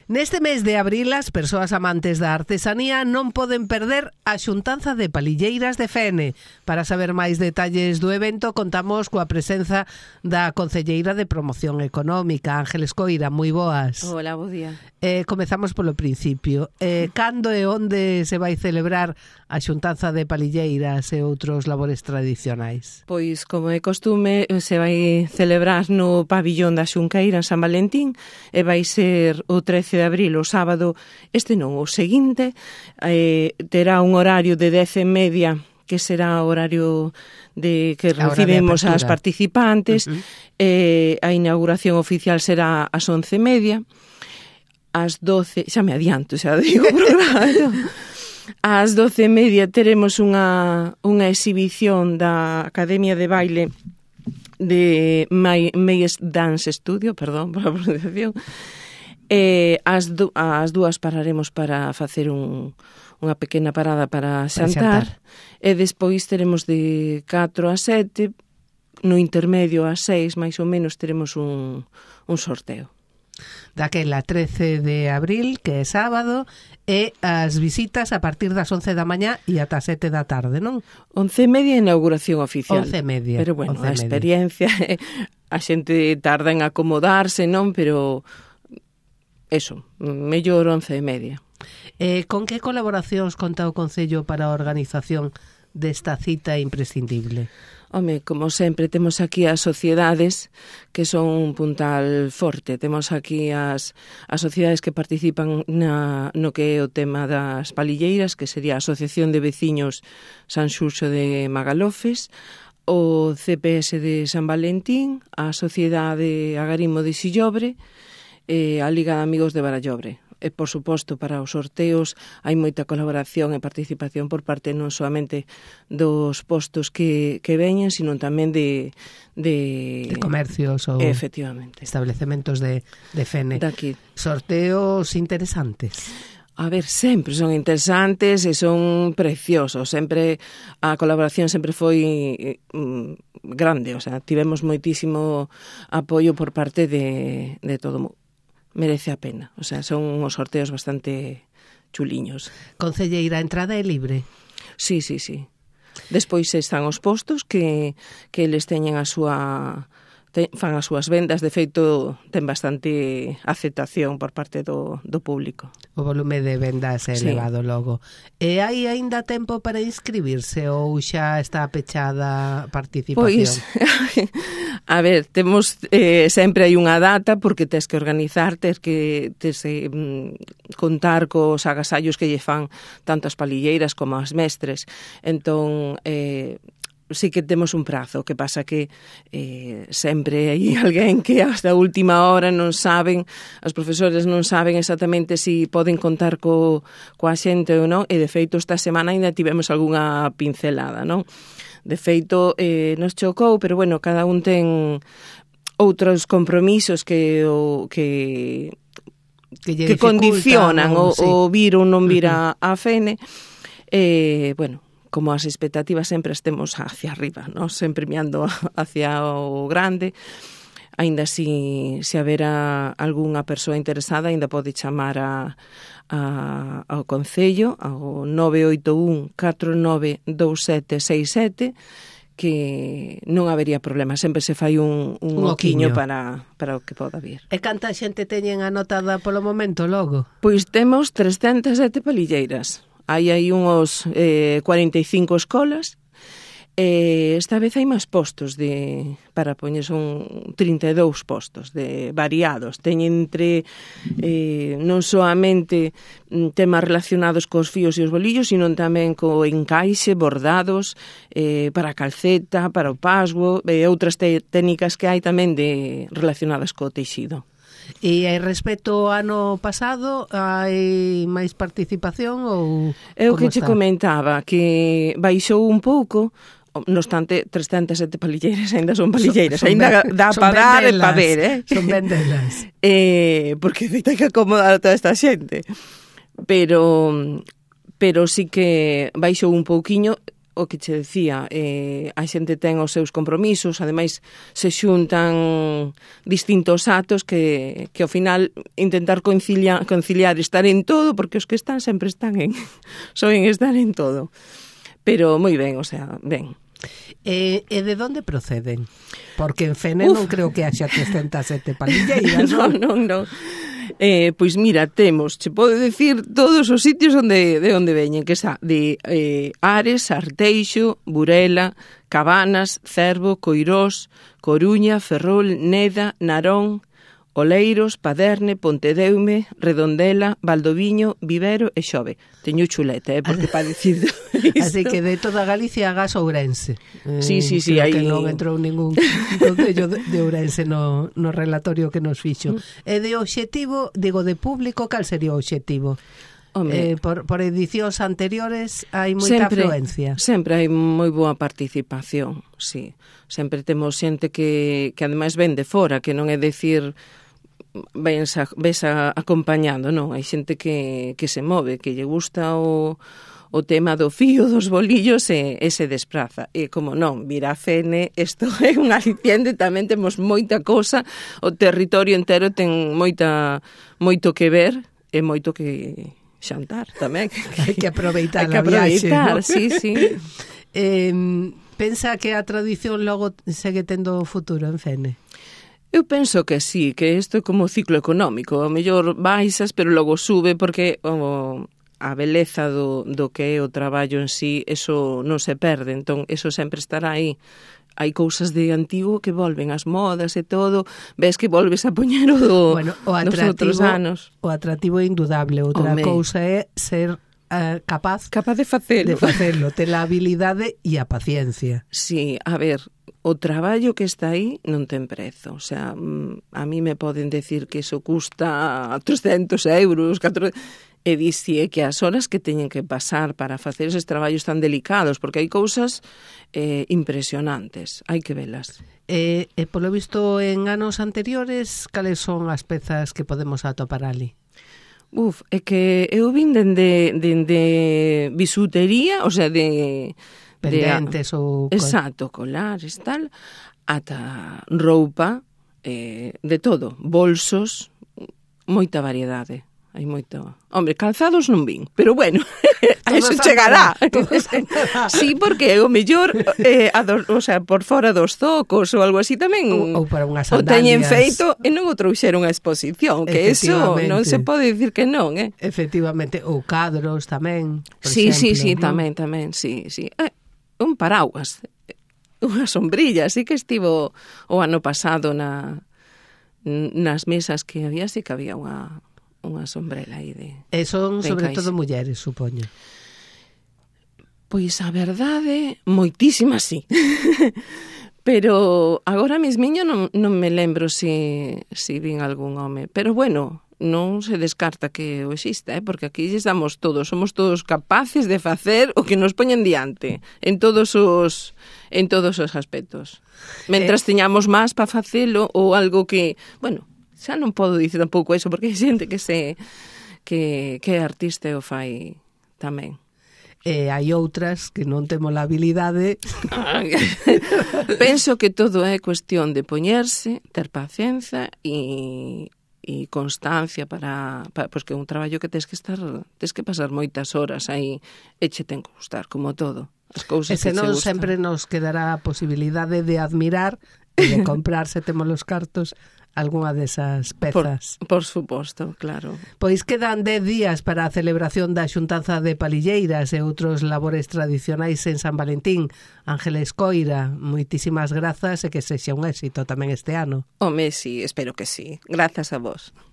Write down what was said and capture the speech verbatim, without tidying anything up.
Neste mes de abril, as persoas amantes da artesanía non poden perder a xuntanza de palilleiras de Fene. Para saber máis detalles do evento, contamos coa presenza da concelleira de Promoción Económica, Ángeles Coira. Moi boas. Hola, bo día. Eh, comezamos polo principio. Eh, cando e onde se vai celebrar a xuntanza de palilleiras e outros labores tradicionais? Pois, como é costume, se vai celebrar no pabillón da Xunqueira en San Valentín e vai ser o trece de abril, o sábado, este non, o seguinte, eh, terá un horario de dez e media, que será o horario de que recibimos as participantes, uh-huh. eh, a inauguración oficial será ás once e media, ás doce, xa me adianto, xa digo, ás doce e media teremos unha, unha exhibición da Academia de Baile de May, Mayes Dance Studio, perdón por a pronunciación. Eh, as, du- as dúas pararemos para facer un, unha pequena parada para xantar, para xantar. E despois teremos de catro a sete, no intermedio a seis, máis ou menos, teremos un, un sorteo. Daquela trece de abril, que é sábado, e as visitas a partir das once da mañá e ata sete da tarde, non? Once e media inauguración oficial. Once e media. Pero bueno, a experiencia, a xente tarda en acomodarse, non? Pero eso, mellor once e media. Eh, con que colaboracións conta o Concello para a organización desta cita imprescindible? Home, como sempre, temos aquí as sociedades que son un puntal forte. Temos aquí as, as sociedades que participan na, no que é o tema das palilleiras, que sería a Asociación de Veciños San Xurxo de Magalofes, o C P S de San Valentín, a Sociedade Agarimo de Sillobre, e a Liga de Amigos de Barallobre. E, por suposto, para os sorteos hai moita colaboración e participación por parte non solamente dos postos que, que veñen, sino tamén de... De, de comercios ou efectivamente. Establecementos de, de Fene. Daqui. Sorteos interesantes. A ver, sempre son interesantes e son preciosos. Sempre a colaboración sempre foi mm, grande, o sea, tivemos moitísimo apoio por parte de, de todo o mundo. Merece a pena, o sea, son uns sorteos bastante chuliños. Concelleira, a entrada é libre? Sí, sí, sí. Despois están os postos que, que eles teñen a súa... Te, fan as súas vendas, de feito ten bastante aceptación por parte do, do público. O volume de vendas é sí. elevado logo. E hai aínda tempo para inscribirse ou xa está pechada a participación? Pois, a ver, temos eh, sempre hai unha data porque tes que organizar, tes que tes, eh, contar cos agasallos que lle fan tanto as palilleiras como as mestres. Entón, eh, sí que temos un prazo, que pasa que eh, sempre hai alguén que hasta a última hora non saben, os profesores non saben exactamente se si poden contar co, coa xente ou non, e de feito esta semana ainda tivemos algunha pincelada, non? De feito, eh, nos chocou, pero bueno, cada un ten outros compromisos que o que que, que condicionan o, sí. o vir ou non vir a, a Fene. Eh, bueno, como as expectativas sempre estemos hacia arriba, ¿no? Sempre mirando hacia o grande. Ainda si, se haberá algunha persoa interesada, ainda pode chamar a, a, ao Concello, ao nove oito un catro nove dous sete seis sete, que non habería problema. Sempre se fai un, un, un oquiño para, para o que poda vir. E canta xente teñen anotada polo momento logo? Pois temos trescentas e sete palilleiras. Hai aí uns eh, cuarenta e cinco escolas, e esta vez hai máis postos de, para poñer, son trinta e dous postos de variados. Teñen entre eh, non soamente temas relacionados cos fíos e os bolillos, sino tamén co encaixe, bordados, eh, para a calceta, para o pasgo, e outras te- técnicas que hai tamén de relacionadas co teixido. E respecto ao ano pasado, hai máis participación ou É o como que che está? comentaba, que baixou un pouco, no obstante, trescentas e sete palilleiras ainda son palilleiras, son, son ainda ben, dá para dar e para ver, eh? Son vendelas. eh, porque hai que acomodar a toda esta xente. Pero, pero sí que baixou un pouquiño. o que che decía, eh, a xente ten os seus compromisos, ademais se xuntan distintos actos que, que ao final intentar conciliar, conciliar estar en todo, porque os que están sempre están en, soen estar en todo. Pero moi ben, o sea, ben. E, e de onde proceden? Porque en Fene Uf. non creo que haxa trescentas sete palilleiras, non? Non, non, non. Eh, pois mira, temos, che podo decir todos os sitios onde, de onde veñen, que xa de eh, Ares, Arteixo, Burela, Cabanas, Cervo, Coirós, Coruña, Ferrol, Neda, Narón, Oleiros, Paderne, Pontedeume, Redondela, Valdoviño, Vivero e Xove. Teño chuleta, eh, porque para dicir isto. Así que de toda Galicia hagas Ourense. Eh, sí, sí, sí. Creo Hay... que non entrou ningún concello de, de Ourense no, no relatorio que nos fixo. Mm. E de obxectivo, digo, de público, cal sería o obxectivo? Eh, por, por edicións anteriores hai moita sempre, afluencia. Sempre hai moi boa participación, sí. Sempre temos xente que, que ademais ven de fora, que non é decir ves, a, ves a, acompañando, non, hai xente que, que se move, que lle gusta o, o tema do fío, dos bolillos e, e se despraza. E como non, mira a Fene, isto é un aliciente, tamén temos moita cosa, o territorio entero ten moita moito que ver e moito que xantar tamén. Hai que aproveitar a a viaxe, ¿no? Sí, sí. eh, pensa que a tradición logo segue tendo futuro en Fene? Eu penso que sí, que isto é como o ciclo económico. O mellor baixas, pero logo sube, porque o, a beleza do, do que é o traballo en sí, eso non se perde, entón eso sempre estará aí. Hai cousas de antigo que volven, as modas e todo, ves que volves a poñer o do, bueno, o atractivo, dos outros anos. O atractivo é indudable, outra Home. cousa é ser uh, capaz, capaz de facelo. De facelo, ter a habilidade e a paciencia. Sí, a ver, o traballo que está aí non ten prezo. O sea, a mí me poden decir que iso custa trescentos euros, catorce... e dixie que as horas que teñen que pasar para facer eses traballos tan delicados, porque hai cousas eh, impresionantes, hai que velas. E, e polo visto en anos anteriores, cales son as pezas que podemos atopar ali? Uf, é que eu vin dende, dende bisutería, o sea, de... pendentes de, ou... Exacto, colares, tal, ata roupa, eh, de todo, bolsos, moita variedade. Hai moito... Hombre, calzados non vin, pero bueno, a eso chegará. Sí, porque o mellor, eh, a do, o sea, por fora dos zocos ou algo así tamén ou, ou para unhas sandalias. O teñen feito e non o trouxeron a exposición, que eso non se pode dicir que non, eh? Efectivamente, ou cadros tamén, por sí, exemplo. Sí, sí, ¿no? tamén, tamén, sí, sí. Eh, un paraguas, unha sombrilla, así que estivo o ano pasado na nas mesas que había, sí que había unha unha sombrela aí de... E son de sobre encaixe. todo mulleres, supoño. Pois a verdade, moitísimas sí. Pero agora mesmiño non, non me lembro se si, si vin algún home. Pero bueno, non se descarta que o exista, eh? Porque aquí estamos todos, somos todos capaces de facer o que nos poñen diante en todos os en todos os aspectos. Mentras eh... teñamos máis para facelo ou algo que, bueno, xa non podo dicir tampouco eso, porque hai xente que se que, que é artista e o fai tamén. E hai outras que non temos a habilidade. Penso que todo é cuestión de poñerse, ter paciencia e, e constancia para, para pois que é un traballo que tens que estar, tens que pasar moitas horas aí e che ten que gustar, como todo. As cousas e senón sempre nos quedará a posibilidade de admirar e de comprar, se temos os cartos, algunha desas pezas. Por, por suposto, claro. Pois quedan dez días para a celebración da xuntanza de palilleiras e outros labores tradicionais en San Valentín. Ángeles Coira, moitísimas grazas e que sexa un éxito tamén este ano. Home, sí, espero que sí. Grazas a vos.